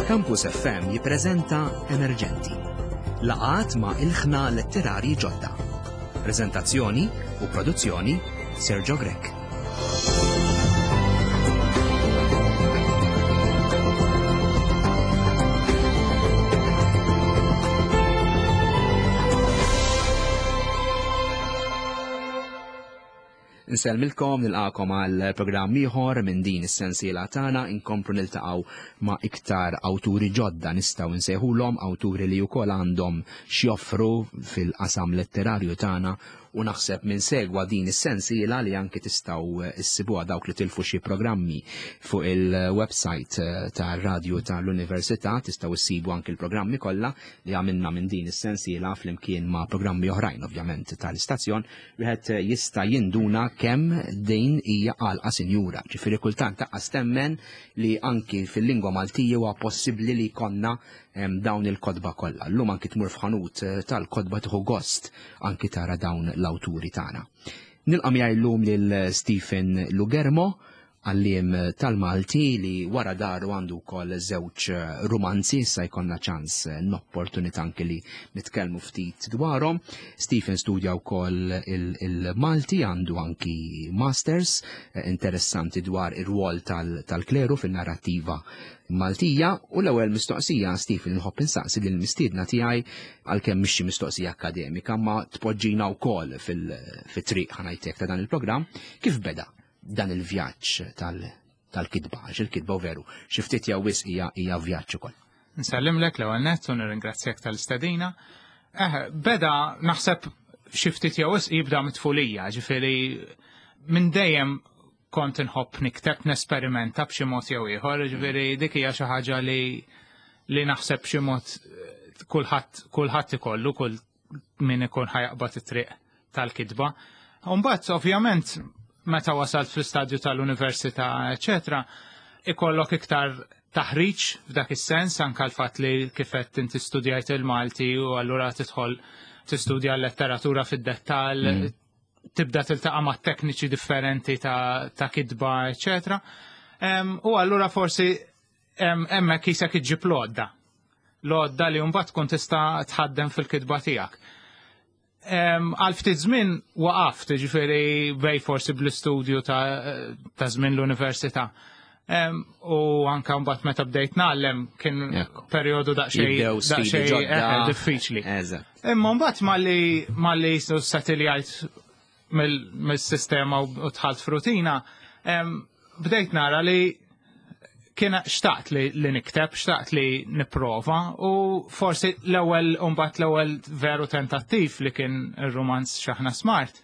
Campus FM jippreżenta Emerġenti. Laqgħat ma' ilħna letterarji ġodda. Preżentazzjoni u produzzjoni Sergio Grech. Nsellmilkom nilqakom għal programm ieħor minn din is-sensiela tagħna inkomplu niltaqgħu ma' iktar awturi ġodda nistgħu nsejħulhom awturi li wkoll għandhom x'joffru fil-qasam letterarju tagħna u naħseb minn segwa din is-sensiela li anki tistgħu issibuha dawk li tilfu xi programmi fuq il-website eh, tar-radju tal-Università tistgħu issibu anki l-programmi kollha li għamilna minn din is-sensiela flimkien ma' programmi oħrajn ovvjament tal-istazzjon wieħed jista' jinduna kemm din hija għalqa sinjura. Ġifieri kultant taqqas temmen li anki fil-lingwa Maltija huwa possibbli li jkollna dawn il-kotba kollha. Llum anki tmur f'ħanut eh, tal-kotba tieħu gost anki tara dawn l-awturi tagħna. Nilqa' miegħi llum lil Stephen Lugermo, għalliem tal-Malti li wara daru għandu wkoll żewġ eh, rumanzi, issa jkollna ċans eh, n-opportunità anki li nitkellmu ftit dwarhom. Stephen studja wkoll il-Malti għandu anki masters eh, interessanti dwar ir-rwol tal-kleru fin-narrattiva Maltija u l-ewwel mistoqsija Stephen nħobb insaqsi lil mistiedna tiegħi għalkemm mhix xi mistoqsija akademika ma tpoġġina wkoll fil-triq ħanajtek ta' dan il-programm kif beda dan il-vjaġġ tal-kitba, għax il-kitba u veru, xi ftit jew wisq hija hija vjaġġ ukoll. Nsellimlek l-ewwel nett u nirringrazzjak tal-istedina. Eh, beda naħseb xi ftit jew wisq jibda mit-tfulija, ġifieri minn dejjem kont inħobb nikteb nesperimenta b'xi mod jew ieħor, ġifieri dik hija xi ħaġa li li naħseb b'xi mod eh, kulħadd kulħadd ikollu kull min ikun ħajaqbad it-triq tal-kitba. Umbagħad ovvjament meta wasalt fl-istadju tal-università, eċetera, ikollok iktar taħriġ f'dak is-sens anke l-fatt li kif qed inti studjajt il-Malti u allura tidħol tistudja l-letteratura fid-dettall, mm. tibda tiltaqa' ma' tekniċi differenti ta', ta kitba, eċetera. U allura forsi hemmhekk isek iġġib l-għodda. L-għodda li mbagħad tkun tista' tħaddem fil-kitba tiegħek. Għal ftit żmien waqaft, ġifieri bej forsi bl-istudju ta' żmien l-università. U anka mbagħad meta bdejt nagħllem kien perjodu daqsxejn daqsxejn eh, diffiċli. Imma mbagħad malli malli satiljajt mill-sistema u dħalt f'rutina, bdejt nara li kien xtaqt li, li nikteb, xtaqt li niprova u forsi l-ewwel mbagħad l-ewwel veru tentattiv li kien ir-rumanz Xaħna Smart.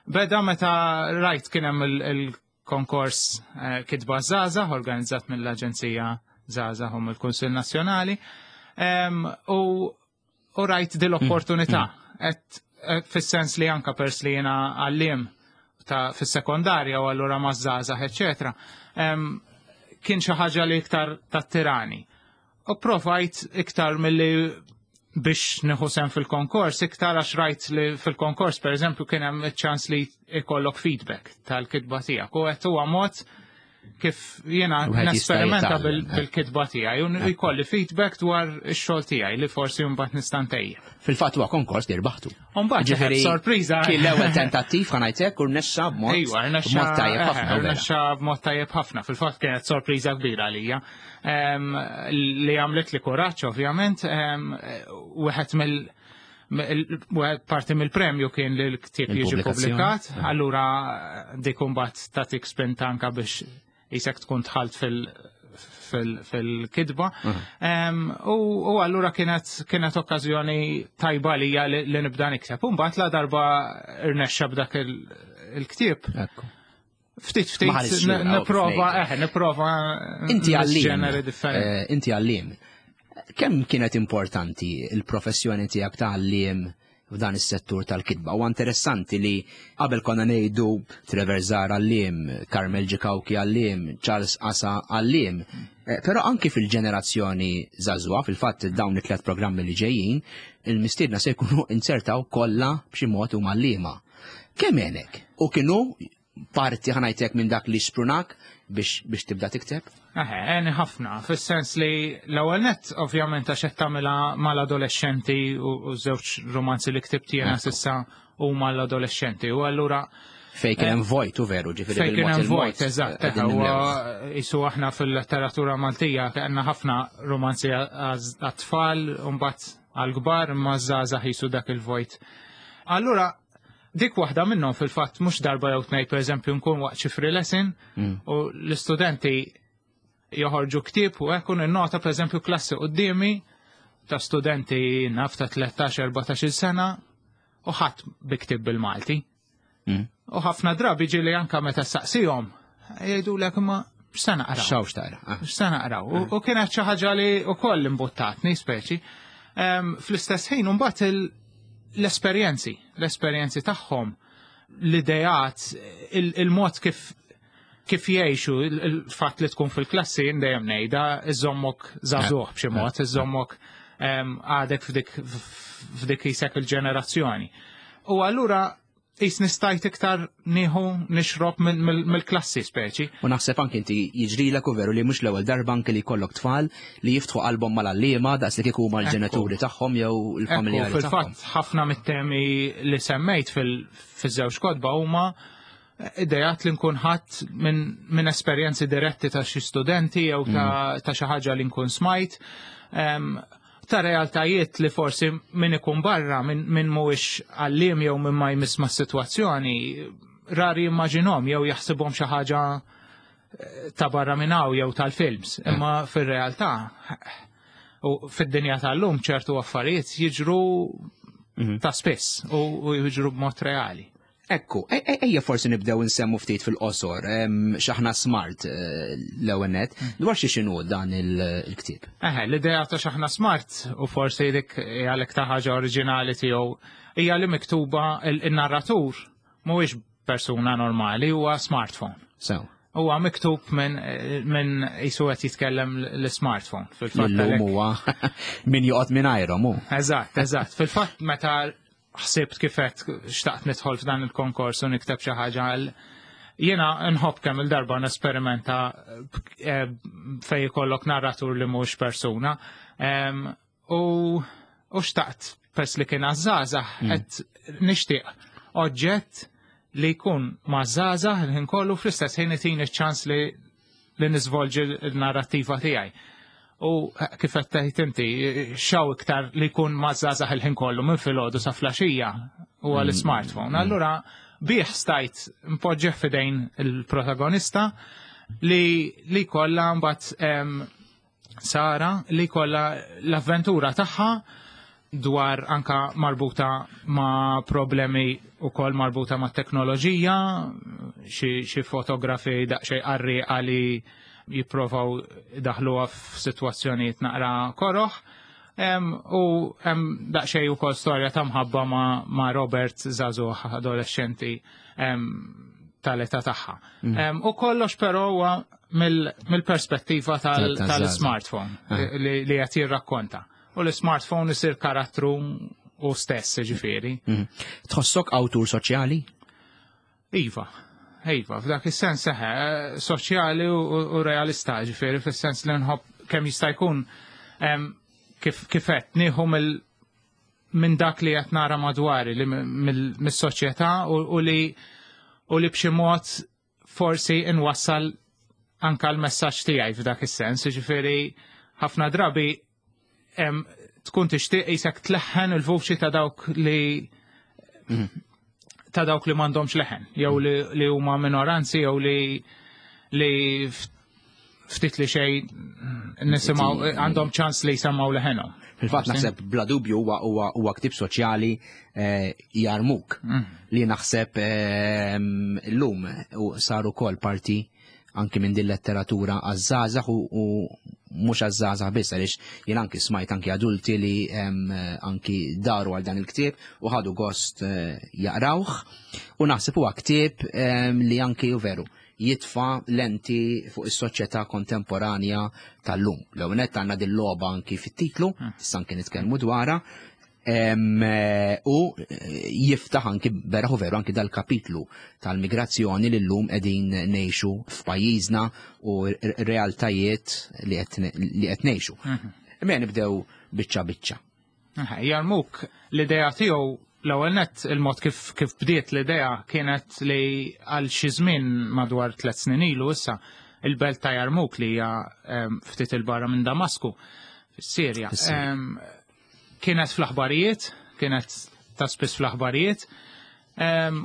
Beda meta rajt kien hemm il-konkors eh, Kitba Żgħażagħ organizzat mill-Aġenzija Żgħażagħ u mill-Kunsill Nazzjonali. U u rajt din l-opportunità. Mm, mm. Fis-sens li anka pers li jiena għallim ta' fis-sekondarja u allura ma' żgħażagħ, eċetera. Kien xi ħaġa li iktar tat-tirani. U provajt iktar milli biex nieħu sem fil-konkors, iktar għax rajt li fil-konkors, per eżempju, kien hemm ċans li ikollok feedback tal-kitba tiegħek. U qed huwa mod kif jiena nesperimenta bil-kitba tiegħi u jkolli feedback dwar ix-xogħol tiegħi li forsi mbagħad nista' ntejjeb. Fil-fatt huwa konkors li rbaħtu. Mbagħad ġifieri sorpriża. Kien l-ewwel tentattiv ħa ngħidlek u rnexxa b'mod Ejwa, rnexxa tajjeb ħafna. Rnexxa b'mod tajjeb ħafna. Fil-fatt kienet sorpriża kbira għalija. Li għamlet li kuraġġ ovvjament wieħed mill Parti mill-premju kien li l-ktieb jiġi publikat, allura dik imbagħad tagħtik spinta anka biex jisek tkun tħalt fil-kitba. U allura kienet kienet okkażjoni tajba lija li nibda nikteb. U mbagħad la darba irnexxa b'dak il-ktieb. Ftit ftit nipprova, eh, nipprova Inti għallim. Eh, inti għallim. Kemm kienet importanti il-professjoni tiegħek ta' għalliem f'dan is-settur tal-kitba? U interessanti li qabel konna ngħidu Trevor Zara għalliem, Carmel Ġikawki għalliem, Charles Asa għalliem. Eh, però anki fil-ġenerazzjoni żagħżugħa, fil-fatt dawn it-tliet programmi li ġejjin, il-mistiedna se jkunu insertaw kollha b'xi mod huma għalliema. Kemm għenek? U kienu parti ħa ngħidlek minn dak li sprunak biex, biex tibda tikteb? Eħe, għeni ħafna, fis-sens li l-ewwel nett ovvjament għax qed tagħmilha mal-adolexxenti u żewġ romanzi li ktibt jiena s'issa huma l-adolexxenti u allura Fej kien hemm vojt u veru, ġifieri Fejn kien hemm vojt, eżatt, jisu aħna fil-letteratura Maltija kellna ħafna romanzi għat-tfal u mbagħad għall-kbar imma żgħażagħ jisu dak il-vojt. Allura dik waħda minnhom fil-fatt mhux darba jew tnejn pereżempju nkun waqt xi free lesson u l-istudenti joħorġu ktieb u hekk u ninnota pereżempju klassi quddiemi ta' studenti naf ta' 13-14 sena u ħadd bi ktieb bil-Malti. U ħafna drabi ġieli anka meta saqsihom jgħidulek imma x'se naqraw. X'hawn x'taqra. Ah. X'se naqraw. U kienet xi ħaġa li wkoll imbuttatni speċi. Fl-istess ħin mbagħad l-esperjenzi, l-esperjenzi tagħhom, l-ideat, il-mod kif kif jgħixu, il-fatt li tkun fil-klassi dejjem ngħidha, iżommok żagħżugħ b'xi mod, iżommok għadek f'dik f'dik isek il-ġenerazzjoni. U allura jisni stajt iktar nieħu nixrob mill-klassi speċi. U naħseb anki inti jiġrilek u veru li mhux l-ewwel darba anki li jkollok tfal li jiftħu qalbhom mal-għalliema daqs li kieku huma l-ġenituri tagħhom jew il-familjari tagħhom. Fil-fatt ħafna mit-temi li semmejt fil-żewġ kotba huma idejat li nkun ħadd minn esperjenzi diretti ta' xi studenti jew ta' xi ħaġa li nkun smajt. Ta' realtajiet li forsi min ikun barra, min mhuwiex għalliem jew min ma jmiss ma' sitwazzjoni, rari jimmaġinhom jew jaħsibhom xi ħaġa ta' barra minn hawn jew tal-films. Imma fir-realtà u fid-dinja tal-lum ċertu affarijiet jiġru ta' spiss u jiġru b'mod reali. Ekku, ejja forsi nibdew nsemmu ftit fil-qosor, x'aħna smart l-ewwel nett, dwar xi x'inhu dan il-ktieb. Eħe, l-idea ta' x'aħna smart u forsi dik hija l-iktar ħaġa oriġinali tiegħu hija li miktuba il-narratur mhuwiex persuna normali, huwa smartphone. Sew. Huwa miktub minn jisu qed jitkellem l-smartphone. Fil-fatt Illum huwa min joqgħod mingħajrhom hu. Eżatt, eżatt. Fil-fatt meta ħsibt kif qed xtaqt nidħol f'dan il-konkors u nikteb xi ħaġa għal jiena nħobb kemm il-darba nesperimenta fej ikollok narratur li mhux persuna. U xtaqt pers li kien għaż-żgħażagħ qed nixtieq oġġett li jkun ma' żgħażagħ il-ħin kollu fl-istess ħin itini ċ-ċans li li niżvolġi l-narrattiva tiegħi. U kif qed tgħid inti, xaw iktar li jkun ma' żgħażagħ il-ħin kollu minn filgħodu sa flaxija huwa l-smartphone. Allura bih stajt npoġġih f'idejn il-protagonista li li kollha mbagħad Sara li kollha l-avventura tagħha dwar anka marbuta ma' problemi u koll marbuta ma' teknoloġija, xi fotografi daqsxejn qarrieqa li jipprovaw daħluha f'sitwazzjonijiet naqra koroħ. U hemm daqsxejn ukoll storja ta' mħabba ma' Robert żagħżugħ adolescenti tal-età tagħha. U kollox però huwa mill-perspettiva tal-smartphone li qed jirrakkonta. U l-smartphone isir karattru u stess, ġifieri. Tħossok awtur soċjali? Iva, iva, f'dak is-sens eħe, soċjali u realista, ġifieri, fis-sens li nħobb kemm jista' jkun kif qed nieħu minn dak li qed nara madwari, li mis-soċjetà u li u li b'xi mod forsi nwassal anka l-messaġġ tiegħi f'dak is-sens, ġifieri ħafna drabi tkun tixtieq isek tleħħen il-vuċi ta' dawk li ta' dawk li m'għandhomx leħen, jew li huma minoranzi, jew li ftit li xejn nisimgħu għandhom ċans li jsemmaw leħenhom. Fil-fatt naħseb bla dubju huwa ktieb soċjali jarmuk li naħseb illum u sar ukoll parti anki minn din letteratura għaż-żgħażagħ u mhux għaż-żgħażagħ biss, għaliex jien anki smajt anki adulti li anki daru għal dan il-ktieb u ħadu gost jaqrawh, u naħseb huwa ktieb li anki u veru jitfa lenti fuq is-soċjetà kontemporanja tal-lum. L-ewwel nett għandna din logħba anki fit-titlu, issa anki nitkellmu dwarha. U jiftaħ anki beraħ u veru anki dal-kapitlu tal-migrazzjoni li llum qegħdin ngħixu f'pajjiżna u realtajiet li qed ngħixu. Imma nibdew biċċa biċċa. Jarmuk l-idea tiegħu l-ewwel nett il-mod kif kif bdiet l-idea kienet li għal xi żmien madwar 3 snin ilu issa il-belt ta' Jarmuk li hija ftit il-barra minn Damasku fis-Sirja. Kienet fl-aħbarijiet, kienet ta' spiss fl-aħbarijiet.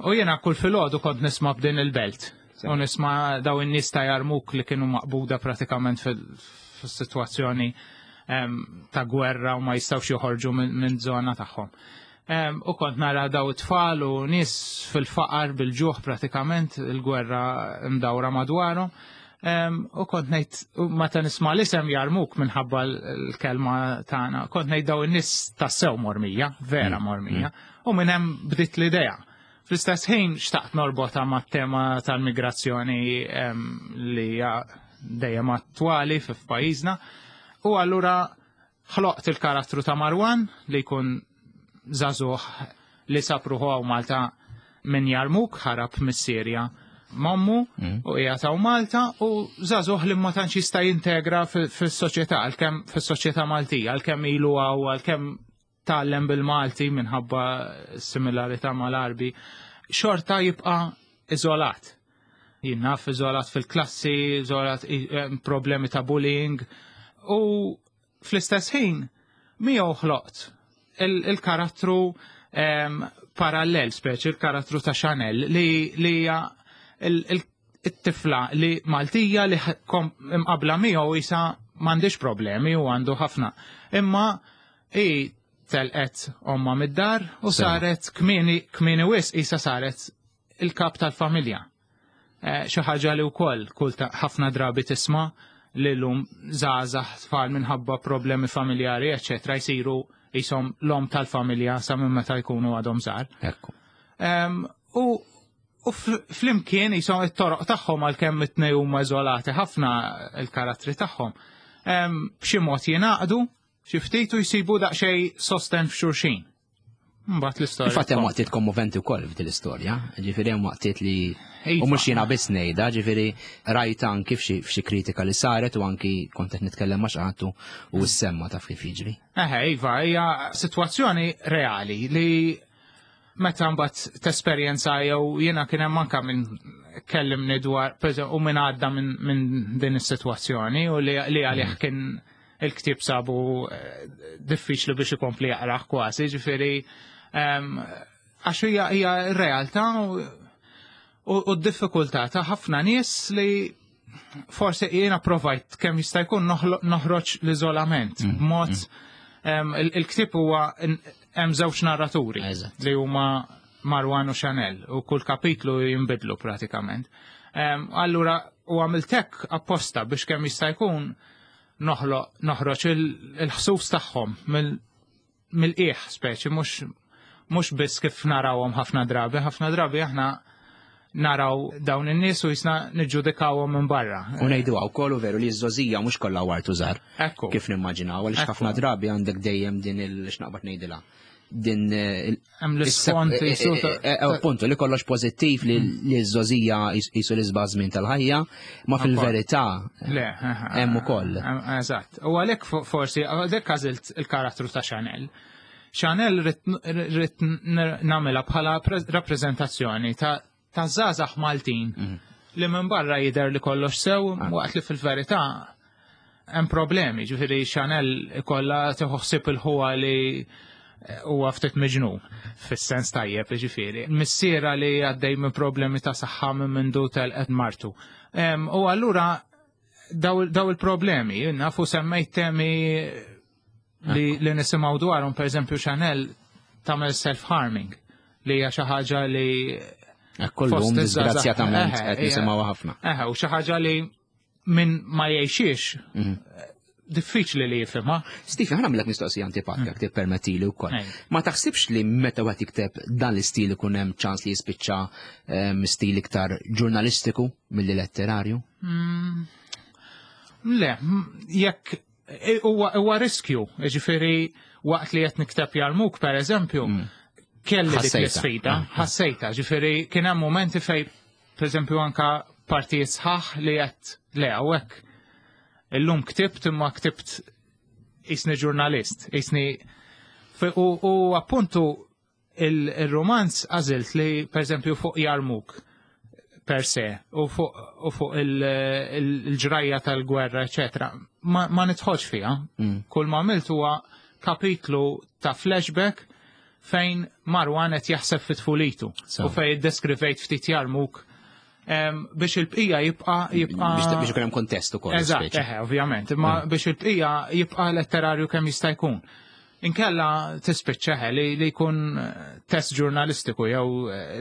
U jiena kull filgħodu kont nisma' b'din il-belt. U nisma' daw in-nies ta' Jarmuk li kienu maqbuda pratikament fis-sitwazzjoni ta' gwerra u ma jistgħux joħorġu minn żona tagħhom. U kont nara daw it-tfal u nies fil-faqar bil-ġuħ pratikament il-gwerra mdawra madwarhom. U kont ngħid meta nisma' l-isem Jarmuk minħabba l-kelma tagħna, kont ngħid daw in-nies tassew mormija, vera mormija, u minn hemm bdiet l-idea. Fl-istess ħin xtaqt norbotha mat-tema tal-migrazzjoni li hija dejjem attwali f'pajjiżna. U allura ħloqt il-karattru ta' Marwan li jkun żagħżugħ li sab ruħu hawn Malta minn Jarmuk, ħarab mis-Sirja m'ommu u qiegħed hawn Malta u żagħżugħ li ma tantx jista' jintegra fis-soċjetà, għalkemm fis-soċjetà Maltija, għalkemm ilu hawn, għalkemm tgħallem bil-Malti minħabba similarità mal-Għarbi, xorta jibqa' iżolat. Jien naf iżolat fil-klassi, iżolat problemi ta' bullying u fl-istess ħin miegħu ħloqt il-karattru parallel, speċi il-karattru ta' Chanel li hija it-tifla li Maltija li imqabla miegħu isa m'għandix problemi u għandu ħafna. Imma hi telqet omma mid-dar u saret kmieni kmieni wisq isa saret il-kap tal-familja. Xi ħaġa li wkoll kull ħafna drabi tisma' li llum żgħażagħ tfal minħabba problemi familjari, eċċetera, jsiru jisom l-om tal-familja sa minn meta jkunu għadhom żgħar. U U flimkien jisom it-toroq tagħhom għalkemm it-tnejn huma iżolati ħafna il-karattri tagħhom. B'xi mod jingħaqdu xi ftit u jsibu daqsxejn sosten f'xulxin. Mbagħad l-istorja. Infatti hemm waqtiet kommoventi wkoll f'din l-istorja, ġifieri hemm waqtiet li u mhux jiena biss ngħidha, ġifieri rajt anki f'xi kritika li saret u anki kont qed nitkellem ma' xi ħadd u ssemma taf kif jiġri. Eħe, iva, hija sitwazzjoni reali li meta mbagħad tesperjenza jew jiena kien hemm anke minn kellimni dwar u minn għadda minn din is-sitwazzjoni u li għalih kien il-ktieb sabu diffiċli biex ikompli jaqrah kważi, ġifieri għax hija hija r-realtà u d-diffikultà ta' ħafna nies li forsi jiena provajt kemm jista' jkun noħroġ l-iżolament b'mod il-ktieb huwa hemm żewġ narraturi li huma Marwan u Chanel u kull kapitlu jinbidlu pratikament. Allura u għamilt hekk apposta biex kemm jista' jkun noħloq noħroġ il-ħsus tagħhom mill-qiegħ speċi mhux biss kif narawhom ħafna drabi, ħafna drabi aħna naraw dawn in-nies u jisna niġġudikawhom minn barra. U ngħidu wkoll u veru li ż-żożija mhux kollha wart u żgħar. Kif nimmaġinaw, għaliex ħafna drabi għandek dejjem din il-x'naqbad ngħidilha. Din hemm l-isfond jisu appuntu li kollox pożittiv li ż-żożija jisu l-isbaħ żmien tal-ħajja, ma fil-verità le hemm ukoll. Eżatt. U għalhekk forsi għalhekk għażilt il-karattru ta' Chanel. Chanel rrid nagħmilha bħala rappreżentazzjoni ta' żgħażagħ Maltin li minn barra jidher li kollox sew waqt li fil-verità hemm problemi, ġifieri Chanel ikollha tieħu ħsieb il-ħuha li huwa ftit miġnun fis-sens tajjeb, ġifieri. Missiera li għaddej minn problemi ta' saħħa minn mindu telqet martu. U allura daw il-problemi, nafu semmejt temi li nisimgħu dwarhom, pereżempju Chanel tagħmel self-harming li hija xi ħaġa li Kollum disgrazzjatament qed nisimgħu ħafna. Eħe, u xi ħaġa li minn ma jgħixiex diffiċli li jifhimha. Stephen, ħa nagħmlek mistoqsija antipatika jekk tippermettili wkoll. Ma taħsibx li meta wieħed jikteb dan l-istil ikun hemm ċans li jispiċċa stil iktar ġurnalistiku milli letterarju? Le, jekk huwa riskju, ġifieri Waqt li qed nikteb Jarmuk, per eżempju, kelli dik l-isfida, ħassejta, ġifieri kien hemm momenti fej, per eżempju, anka partijiet sħaħ li qed le hawnhekk illum ktibt imma ktibt isni ġurnalist, isni u appuntu il-romanz għażilt li per eżempju fuq Jarmuk per se u fuq il-ġrajja tal-gwerra, eccetera, ma nidħolx fiha. Kull ma għamilt huwa kapitlu ta' flashback fejn Marwan qed jaħseb fit tfulitu u fejn iddeskrivejt ftit Jarmuk biex il-bqija jibqa' jibqa' biex ikun hemm kontest ukoll. Eżatt, eħe, ovvjament, imma biex il-bqija jibqa' letterarju kemm jista' jkun. Inkella tispiċċa li jkun test ġurnalistiku jew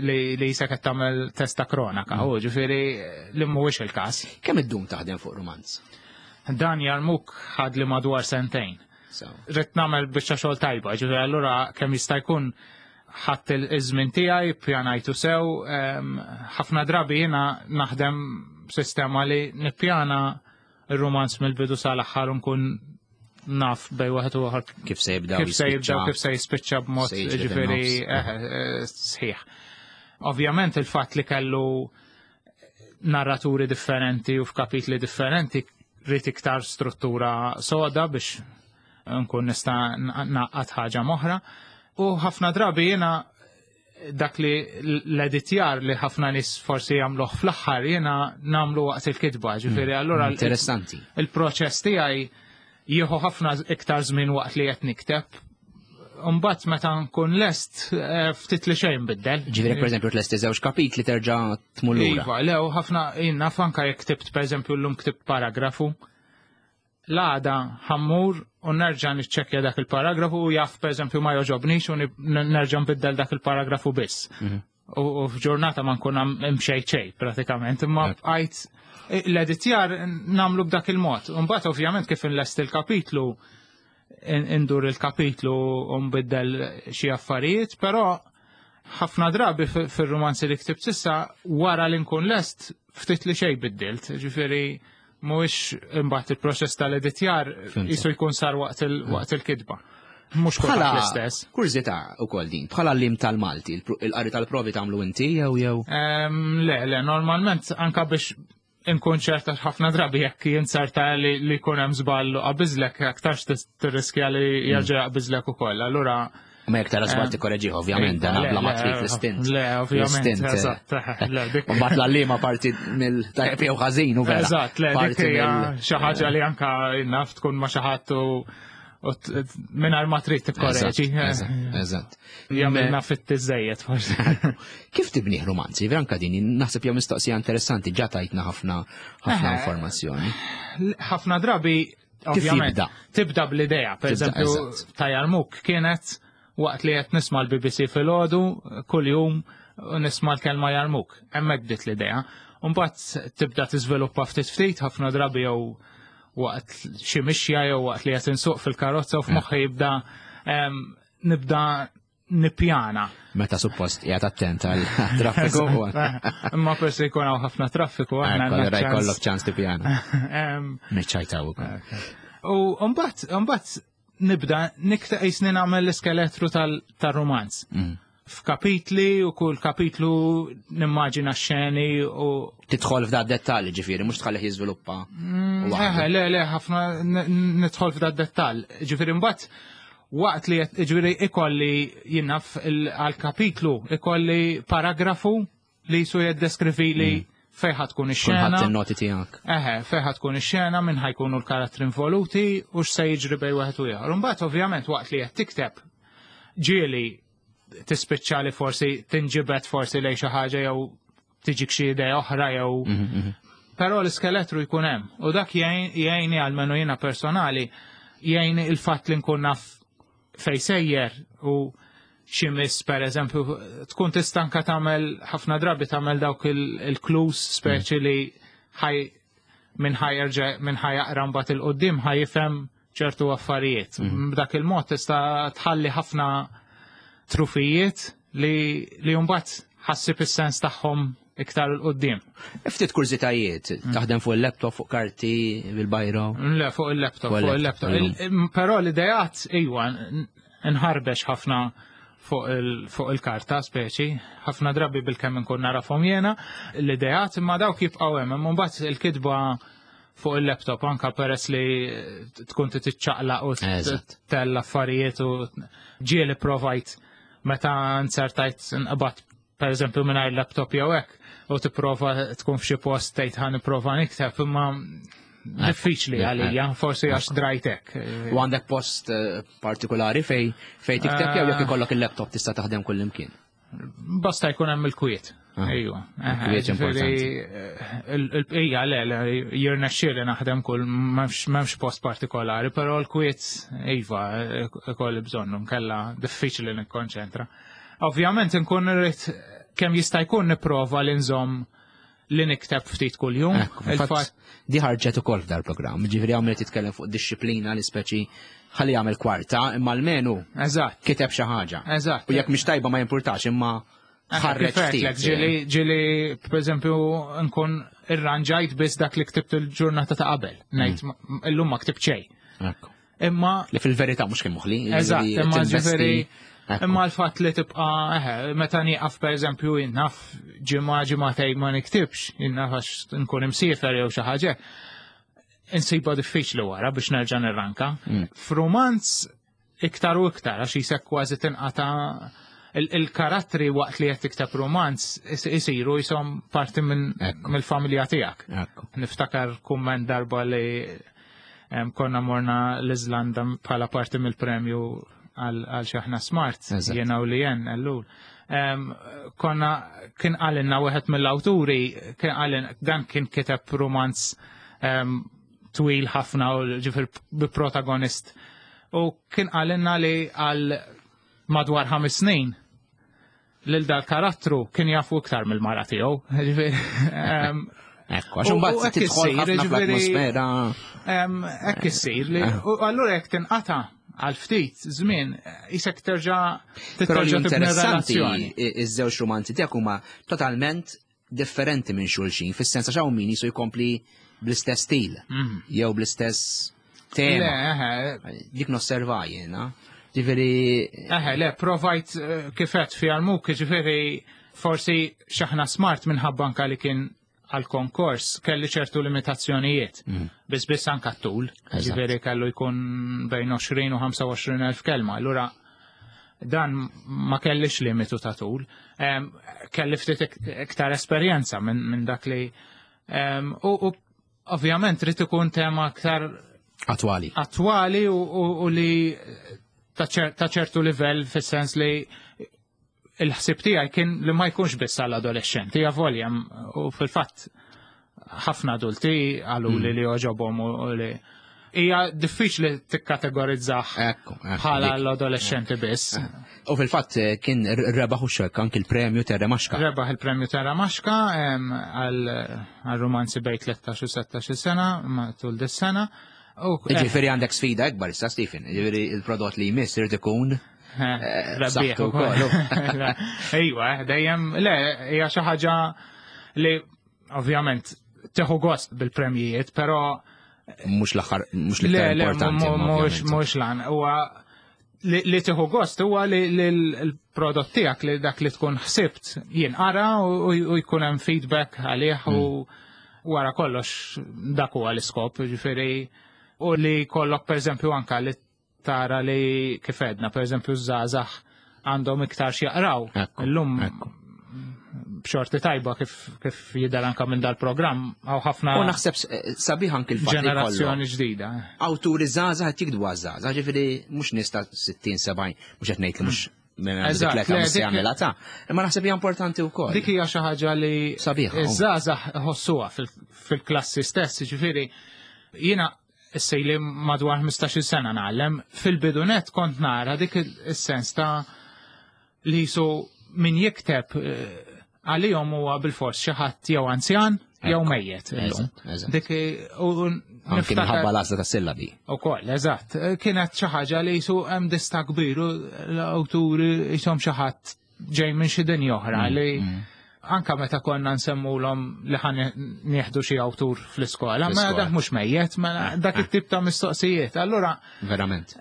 li jisek qed tagħmel test ta' kronaka, u ġifieri li mhuwiex il-każ. Kemm iddum taħdem fuq romanz? Dan Jarmuk ħad li madwar sentejn. Ridt nagħmel biċċa xogħol tajba, ġifieri allura kemm jista' jkun ħadd iż-żmien tiegħi, pjanajtu sew, ħafna drabi jiena naħdem sistema li nippjana ir-romanz mill-bidu sal-aħħar u nkun naf bej waħed u ieħor kif se jibda kif se jibda kif se jispiċċa b'mod ġifieri sħiħ. Ovvjament il-fatt li kellu narraturi differenti u f'kapitli differenti rrid iktar struttura soda biex nkun nista' naqqat ħaġa moħra. U ħafna drabi jiena dak li l-editjar li ħafna nies forsi jagħmluh fl-aħħar jiena nagħmlu waqt il-kitba, ġifieri allura Interessanti. Il-proċess tiegħi jieħu ħafna iktar żmien waqt li qed nikteb. Mbagħad meta nkun lest ftit li xejn biddel. Ġifieri pereżempju tlesti żewġ kapitli terġa' tmur lura. Iva, le, u ħafna jien naf anke jekk ktibt pereżempju llum ktibt paragrafu. L-għada ħammur u nerġa' niċċekkja dak il-paragrafu u jaf pereżempju ma joġobnix u nerġa' nbiddel dak il-paragrafu biss. U f'ġurnata ma nkun imxejt xejn pratikament, imma bqajt l-editjar nagħmlu b'dak il-mod. Imbagħad ovvjament kif inlest il-kapitlu indur il-kapitlu u nbiddel xi affarijiet, però ħafna drabi fir-romanzi li ktibt s'issa wara li nkun lest ftit li xejn biddilt, ġifieri mhuwiex imbagħad il-proċess tal-editjar jisu jkun sar waqt il-kitba. Mhux kulħadd l-istess. Kurżità ukoll din, bħala lim tal-Malti, il-qari tal-provi tagħmlu inti jew jew? Le, le, normalment anka biex inkun ċerta ħafna drabi jekk jinsarta li jkun hemm żball u qabiżlek aktarx tirriskja li jerġa' jaqbiżlek ukoll. Allura Ma jekk tara żball tikkoreġih ovvjament, dan bla ma trid l-istint. Le, ovvjament. Eżatt, le, dik. Mbagħad l-għalliema parti mill-tajjeb jew ħażin u vera. Eżatt, le, dik hija xi ħaġa li anka naf tkun ma xi ħadd u mingħajr ma trid tikkoreġi. Eżatt. Jagħmilna fit-tiżejjed forsi. Kif tibnih romanzi? Vera anka din naħseb jew mistoqsija interessanti ġa tajtna ħafna ħafna informazzjoni. Ħafna drabi ovvjament tibda bl-idea, per eżempju ta' Jarmuk kienet waqt li qed nisma' l-BBC filgħodu kuljum u nisma' l-kelma Jarmuk. Hemmhekk bdiet l-idea. Mbagħad tibda tiżviluppa ftit ftit ħafna drabi jew waqt xi mixja jew waqt li qed insuq fil-karozza u f'moħħi jibda nibda nippjana. Meta suppost qiegħed attent għal traffiku. Imma forsi jkun hawn ħafna traffiku aħna jkollok ċans tippjana. Niċċajtaw ukoll. U mbagħad nibda nikta qisni nagħmel l-iskeletru tal-romanz. F'kapitli u kull kapitlu nimmaġina xeni u Tidħol f'da dettalji ġifieri, mhux tħallih jiżviluppa. Eħe, le, le, ħafna nidħol f'da dettall. Ġifieri mbagħad waqt li ġifieri ikolli jinnaf għal-kapitlu ikolli paragrafu li jisu jiddeskrivi li fejn ħa tkun ix-xena. Kulħadd in-noti tiegħek. Eħe, fejn ħa tkun ix-xena, minn ħajkunu l-karattri involuti u x'se jiġri bejn wieħed u ieħor. Imbagħad ovvjament waqt li qed tikteb ġieli tispiċċa li forsi tinġibed forsi lejn xi ħaġa jew tiġik xi idea oħra jew Però l-iskeletru jkun hemm u dak jgħinni għalmenu jiena personali jgħinni il-fatt li nkun naf fej sejjer u xi miss per eżempju tkun tista' anke tagħmel ħafna drabi tagħmel dawk il-clues speċi li ħaj minn ħajerġa' minn ħajaqra mbagħad il-qudiem ħajifhem ċertu affarijiet. B'dak il-mod tista' tħalli ħafna trufijiet li mbagħad ħassib is-sens tagħhom iktar 'il quddiem. Ftit kurżitajiet, taħdem fuq il-laptop, fuq karti, bil-bajro? Le, fuq il-laptop, fuq il-laptop. Però l-idejat, iwa, nħarbex ħafna fuq il-karta speċi, ħafna drabi bil-kemm nkun narafhom jiena, l-idejat imma dawk jibqgħu hemm, imma mbagħad il-kitba fuq il-laptop anka peress li tkun titċaqlaq u tella affarijiet u ġieli provajt meta nsertajt nqbad per eżempju mingħajr laptop jew hekk u tipprova tkun f'xi post tgħid ħa nipprova nikteb imma diffiċli għalija, forsi għax drajtek. U għandek post eh, partikolari fej fej tikteb jew jekk ah. ikollok il-laptop tista' taħdem kull imkien? Basta jkun hemm il-kwiet. Ah. Ejwa. Il-kwiet importanti. Eh, il-bqija le, jirnexxieli naħdem kull m'hemmx post partikolari, però l-kwiet iva ikolli bżonnu nkella diffiċli nikkonċentra. Ovvjament inkun irrid kemm jista' jkun nipprova li nżomm li nikteb ftit kuljum. Il-fatt di ħarġet ukoll f'dar programm, ġifieri hawn qed jitkellem fuq disċiplina li speċi ħalli jagħmel kwarta, imma almenu Eżatt. kiteb xi ħaġa. Eżatt. U jekk mhix tajba ma jimpurtax, imma ħarreġ ftit. Ġieli, ġieli, per eżempju, nkun irranġajt biss dak li ktibt il-ġurnata ta' qabel. Ngħid mm. illum ma ktibt xejn. Imma li fil-verità mhux kemm moħli. Eżatt, imma ġifieri imma l-fatt li tibqa' eħe, meta nieqaf pereżempju naf ġimgħa ġimgħatejn ma niktibx, naf għax nkun imsiefer jew xi ħaġa. Insiba diffiċli wara biex nerġa' nirranka. Mm. F'rumanz iktar u iktar għax jisek kważi tinqata' il-karattri waqt li qed tikteb romanz isiru jisom parti minn mill-familja tiegħek. Niftakar kumment darba li Konna morna l-Iżlanda bħala parti mill-premju għal xaħna smart, jena u li jen, ellul. Konna kien għalinna wieħed mill-awturi, kien għalin, dan kien kiteb romanz twil ħafna u ġifir bi protagonist. U kien għalinna li għal madwar ħames snin lil dal-karattru kien jafu iktar mill-mara tiegħu. Ekku, għax imbagħad tidħol ħafna fl-atmosfera. Hekk issir li eh. u allura jekk tinqata' għal ftit żmien isek terġa' terġa' interessanti iż-żewġ romanzi tiegħek huma totalment differenti minn xulxin, fis-sens għax hawn min jisu jkompli bl-istess stil mhm. jew bl-istess tema. Dik nosserva jiena. Ġifieri. Eħe, le, provajt eh, kifet fi għalmuk, ġifieri forsi xaħna smart minħabba anka li kien għal konkors kelli ċertu limitazzjonijiet. Mm. Biss biss anka t-tul, ġifieri kellu jkun bejn 20 u 25 elf kelma. Allura Dan ma kellix limitu ta' tul. Kelli ftit iktar esperjenza minn dak li u ovvjament trid ikun tema aktar attwali. Attwali u li ta' ċertu livell fis-sens li il-ħsib tiegħi kien li ma jkunx biss għall adolescenti avolja u fil-fatt ħafna adulti għalu li mm. li oġobhom u li hija diffiċli tikkategorizzah bħala l-adolescenti biss. Eh. U fil-fatt eh, kien rebaħ u xek anki l-premju Terra Maxka. Rebaħ il-premju Terra Maxka għal romanzi bej 13 u 16 sena matul dis-sena. Eh, ġifieri għandek sfida ikbar issa Stephen, ġifieri il-prodott li jmiss irid ikun Rebbieħ ukoll. Ejwa, dejjem le hija xi ħaġa li ovvjament teħu gost bil-premjijiet, però mhux l-aħħar mhux l-iktar importanti. Mhux mhux lan, huwa li tieħu gost huwa li l-prodott tiegħek li dak li tkun ħsibt jinqara u jkun hemm feedback għalih u mm. wara kollox dak huwa l-iskop, ġifieri u li kollok pereżempju anka li tara li kif għedna, per eżempju, żgħażagħ għandhom iktar x'jaqraw. Illum b'xorti tajba kif, kif jidher anka minn dal-programm hawn ħafna. U naħseb eh, sabiħ anki l-fatt ġenerazzjoni ġdida. Awturi żgħażagħ qed jikdbu għaż-żgħażagħ, ġifieri mhux nies ta' 60 70, mhux qed ngħid li mhux Eżatt, jagħmilha ta' imma naħseb hija importanti wkoll. Dik hija xi ħaġa li sabiħa. Iż-żgħażagħ ħossuha fil-klassi stess, ġifieri jiena Issa ili madwar 15-il sena ngħallem, fil-bidu net kont nara dik is-sens ta' li jisu min jikteb eh, għalihom huwa bil-fors xi ħadd jew anzjan jew mejjet illum. Dik u Anki minħabba l-għażla ta' sillabi. Ukoll, eżatt. Kienet xi ħaġa li jisu hemm dista kbir u l-awturi jisom xi ħadd ġej minn xi dinja oħra mm, li mm. Anka meta konna nsemmulhom li ħan nieħdu xi awtur fl-iskola, ma dak mhux mejjet, ma dak it-tip ta' mistoqsijiet. Allura verament.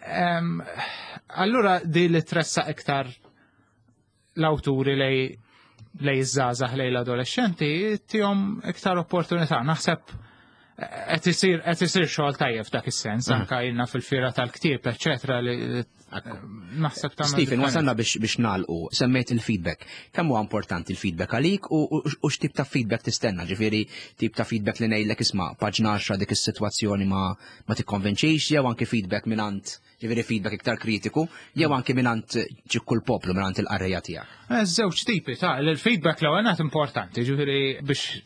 Allura di li tressa iktar l-awturi lej lej iż-żgħażagħ lej l-adolescenti tihom iktar opportunità. Naħseb qed isir qed isir xogħol tajjeb f'dak is-sens, mhm. anka ilna fil-fira tal-ktieb, eċetera, li naħseb ta' Stephen, wasalna biex biex nagħlqu, semmejt il-feedback. Kemm huwa importanti il-feedback għalik u x'tip ta' feedback tistenna? Ġifieri tip ta' feedback li ngħidlek isma' paġna 10 dik is-sitwazzjoni ma ma tikkonvinċix jew anke feedback mingħand ġifieri feedback iktar kritiku, jew anke mingħand ċikku l-poplu, mingħand il-qarrejja tiegħek? Eh, żewġ tipi ta' il-feedback l-ewwel importanti, ġifieri biex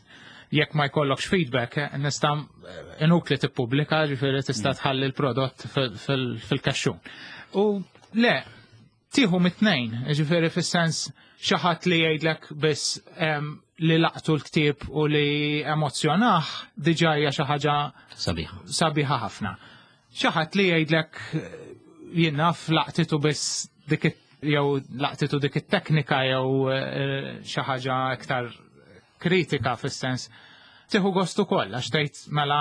jekk ma jkollokx feedback, eh, nista' eh, inutli tippubblika, ġifieri tista' mm. tħalli l-prodott fil-kaxxun. U le, tieħu mit-tnejn, ġifieri fis-sens xi ħadd li jgħidlek biss li laqtu l-ktieb u li emozzjonah diġà hija xi ħaġa sabiħa. Sabiħa ħafna. Xi ħadd li jgħidlek jien naf laqtitu biss dik jew laqtitu dik it-teknika jew eh, xi ħaġa iktar kritika fis-sens tieħu gost ukoll għax tgħid mela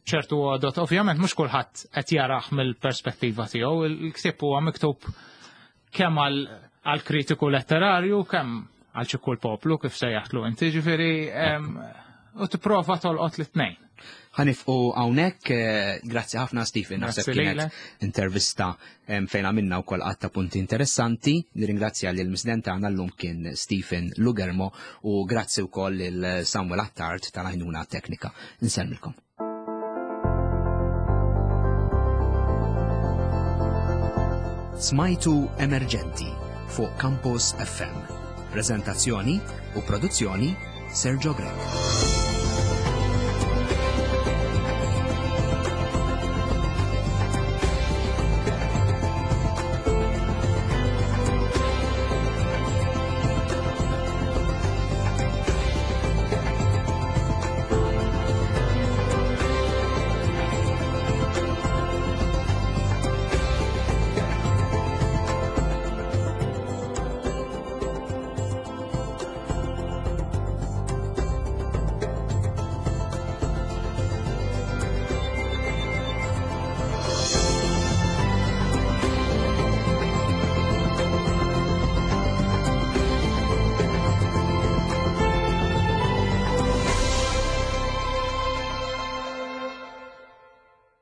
ċertu għodot, ovvjament mhux kulħadd qed jarah mill-perspettiva tiegħu, il-ktieb huwa miktub kemm għal kritiku letterarju, kemm għal ċikku l-poplu kif sejjaħtlu inti, ġifieri u tipprova tolqot l-tnejn. Ħanifqu hawnhekk, eh, grazzi ħafna Stephen, naħseb kienet intervista fejn għamilna wkoll qatt ta' punti interessanti. Nirringrazzja lil misden tagħna llum kien Stephen Lugermo u grazzi wkoll lil Samuel Attard tal-għajnuna teknika. Insellmilkom. Smajtu Emerġenti fuq Campus FM. Prezentazzjoni u produzzjoni Sergio Grech.